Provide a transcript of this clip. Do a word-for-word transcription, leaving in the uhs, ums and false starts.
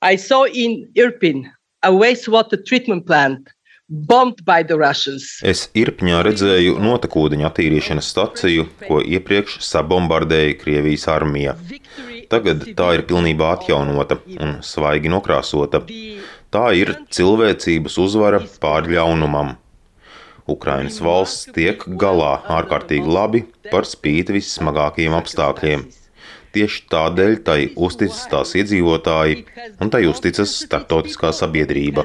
I saw in Irpin a wastewater treatment plant bombed by the Russians. Es Irpņā redzēju notekūdeņu attīrīšanas staciju, ko iepriekš sabombardēja Krievijas armija. Tagad tā ir pilnībā atjaunota un svaigi nokrāsota. Tā ir cilvēcības uzvara pār ļaunumam. Ukrainas valsts tiek galā ārkārtīgi labi par spīti vissmagākajiem apstākļiem. Tieši tādēļ tai uzticas tās iedzīvotāji un tai uzticas starptautiskā sabiedrība.